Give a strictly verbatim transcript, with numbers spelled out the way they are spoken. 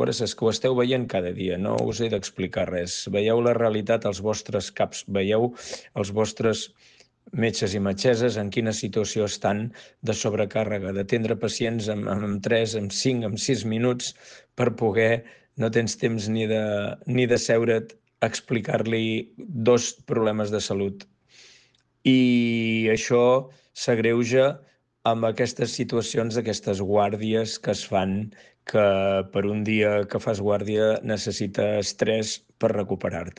és que ho esteu veient cada dia, no us he d'explicar res. Veieu la realitat als vostres caps, veieu els vostres metges i metgesses en quina situació estan de sobrecàrrega, d'atendre pacients en, en tres, en cinc, en sis minuts per poder, no tens temps ni de, ni de seure't a explicar-li dos problemes de salut. I això s'agreuja amb aquestes situacions, aquestes guàrdies que es fan, que per un dia que fas guàrdia necessites tres per recuperar-te.